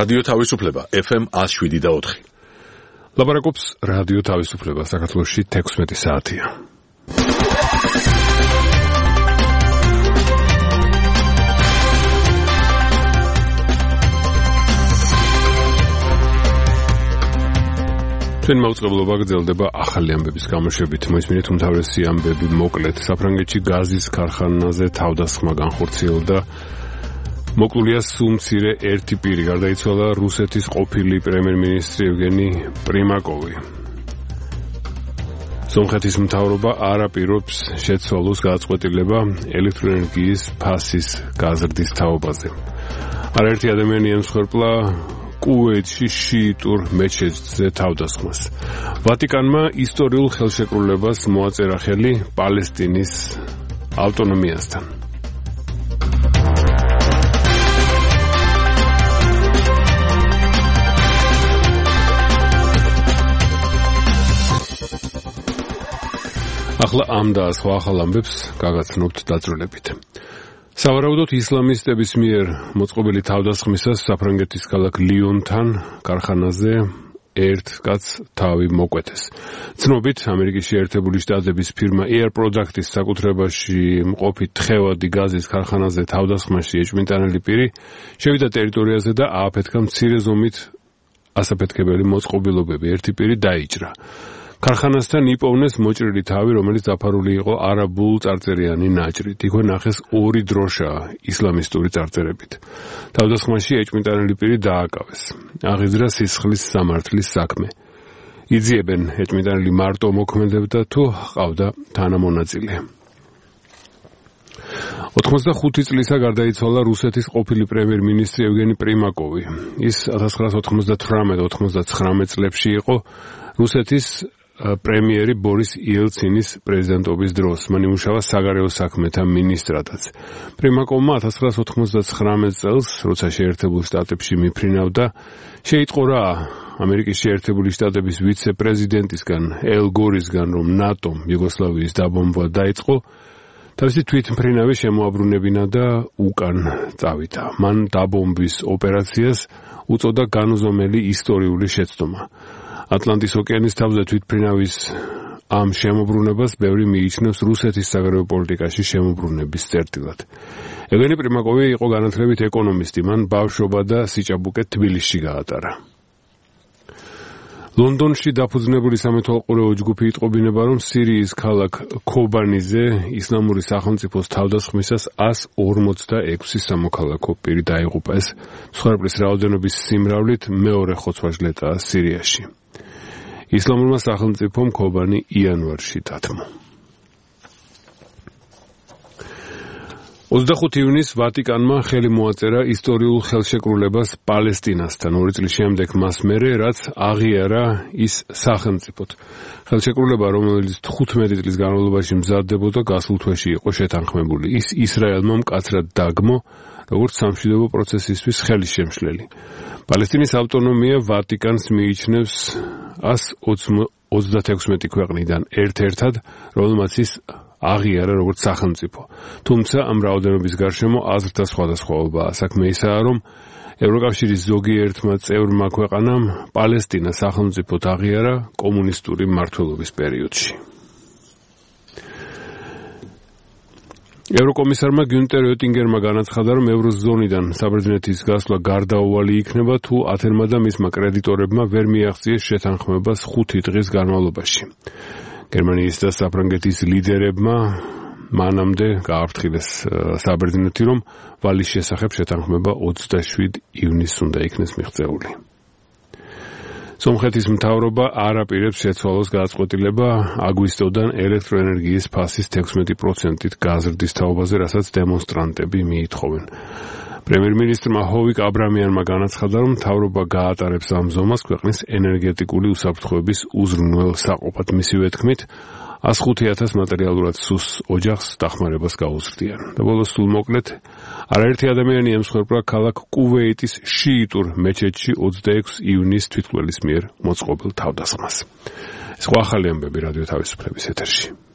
რადიო თავისუფლება FM 107.4. ლაპარაკობს რადიო თავისუფლება, საქართველოში 16 საათია. ჩვენ მოუწყებლობა გრძელდება ახალი ამბების გამოშვებით. მოისმინეთ უმთავრესი ამბები მოკლედ. საფრანგეთში გაზის ქარხანაზე თავდასხმა განხორციელდა. მოკლულია სუმცირე ერთი პირი, გარდაიცვალა რუსეთის ყოფილი პრემიერ-მინისტრი ევგენი პრიმაკოვი. სომხეთის მთავრობა არ აპირობს შეცვალოს გადაწყვეტილება ელექტროენერგიის ფასის გაზრდის თაობაზე. არაერთი ადამიანი ემსხვერპლა კუვეითში შიიტურ მეჩეთზე თავდასხმას. ვატიკანმა ისტორიულ ხელშეკრულებას მოაწერა ხელი პალესტინის ავტონომიასთან. ახლა ამ და სხვა ახალ ამბებს გაგაცნობთ დაწვრილებით. სავარაუდოდ ისლამისტების მიერ მოწყობილი თავდასხმისას საფრანგეთის ქალაქ ლიონთან ქარხანაზე ერთ კაცს თავი მოკვეთეს. ცნობით, ამერიკის შეერთებული შტატების ფირმა Air Products-ის საკუთრებაში მყოფი თხევადი გაზის ქარხანაზე თავდასხმაში ეჭვმიტანილი პირი შევიდა ტერიტორიაზე და ააფეთქა მცირე ზომით ასაფეთქებელი მოწყობილობები. ერთი პირი დაიჭრა. ქარხანასთან იპოვნეს მოჭრილი თავი, რომელიც დაფარული იყო არაბულ წარწერიანი ნაჭრით. იქვე ნახეს ორი დროშა ისლამისტური წარწერებით. თავდასხმაში ეჭვმიტანილი პირი დააკავეს. აღიძრა სისხლის სამართლის საქმე. იძიებენ ეჭვმიტანილი მარტო მოქმედებდა თუ ჰყავდა თანამონაწილე. 85 წლისა გარდაიცვალა რუსეთის ყოფილი პრემიერ-მინისტრი ევგენი პრიმაკოვი. ის 1998-99 წლებში იყო რუსეთის პრემიერი ბორის იელცინის პრეზიდენტობის დროს. მან იმუშავა საგარეო საქმეთა მინისტრადაც. პრიმაკოვმა 1999 წელს, როცა შეერთებულ შტატებში მიფრინავდა, შეიტყორა ამერიკის შეერთებული შტატების ვიცე-პრეზიდენტისგან ელ გორისგან, რომ ნატომ იუგოსლავიის დაბომბვა დაიწყო, თავისი თვითმფრინავი შემოაბრუნებინა და უკან წავიდა. მან დაბომბვის ოპერაციას უწოდა განუზომელი ისტორიული შეცდომა. ატლანტის ოკეანის თავზე თვითმფრინავის ამ შემოbrunებას ბევრი მიიჩნევს რუსეთის საგარეო პოლიტიკაში შემოbrunების წერტილად. ევგენი პრიმაკოვი იყო განათლებით ეკონომისტი, მან ბავშვობა და სიჭაბუკე თბილისში გაატარა. ლონდონში დაფუძნებული სამეთვალყურეო ჯგუფი იტყობინება, რომ სირიის ქალაქ ქობანიზე ისლამური სახელმწიფოს თავდასხმისას 146 სამოქალაქო პირი დაიღუპა. ეს მსხვერპლის რაოდენობის სიმრავლით მეორე ხოცვა-ჟლეტაა სირიაში. ისლამურმა სახელმწიფომ ქობანი იანვარში დათმო. 25 ივნისს ვატიკანმა ხელი მოაწერა ისტორიულ ხელშეკრულებას პალესტინასთან. 2 წლის შემდეგ მას მერე, რაც აღიარა ის სახელმწიფოდ. ხელშეკრულება, რომელიც 15 წლის განმავლობაში მზადდებოდა, გასულ თვეში იყო შეთანხმებული. ის ისრაელმა მკაცრად დაგმო, როგორც სამშვიდობო პროცესისთვის ხელისშემშლელი. პალესტინის ავტონომია ვატიკანს მიიჩნევს 136 ქვეყნიდან ერთ-ერთად, რომელმაც ის აღიარა როგორც სახელმწიფო. თუმცა ამ რაოდენობის გარშემო აზრთა სხვადასხვაობაა. საქმე ისაა, რომ ევროკავშირის ზოგიერთმა წევრმა ქვეყანამ პალესტინა სახელმწიფოდ აღიარა კომუნისტური მმართველობის პერიოდში. ევროკომისარმა გიუნტერ ოტინგერმა განაცხადა, რომ ევროზონიდან საბერძნეთის გასვლა გარდაუვალი იქნება, თუ ათენმა და მისმა კრედიტორებმა ვერ მიაღწიეს შეთანხმებას 5 დღის განმავლობაში. გერმანიის და საფრანგეთის ლიდერებმა მანამდე გააფრთხილეს საბერძნეთი, რომ ვალის შესახებ შეთანხმება 27 ივნისს უნდა იქნეს მიღწეული. სომხეთის მთავრობა არ აპირებს შეცვალოს გადაწყვეტილება აგვისტოდან ელექტროენერგიის ფასის 16%-ით გაზრდის თაობაზე, რასაც დემონსტრანტები მიითხოვენ. პრემიერ-მინისტრმა ჰოვიკ აბრამიანმა განაცხადა, რომ მთავრობა გაატარებს ამ ზომას ქვეყნის ენერგეტიკული უსაფრთხოების უზრუნველ საყოფად. მისივე თქმით, 105,000 მატერიალურად სუს ოჯახს დახმარებას გაუზრდიან. და ბოლოს სულ მოკლედ, არაერთი ადამიანი ემსხვერპლა ქალაქ კუვეიტის შიიტურ მეჩეთში 26 ივნისს თვითმკვლელის მიერ მოწყობილ თავდასხმას. სხვა ახალი ამბები რადიო თავისუფლების ეთერში.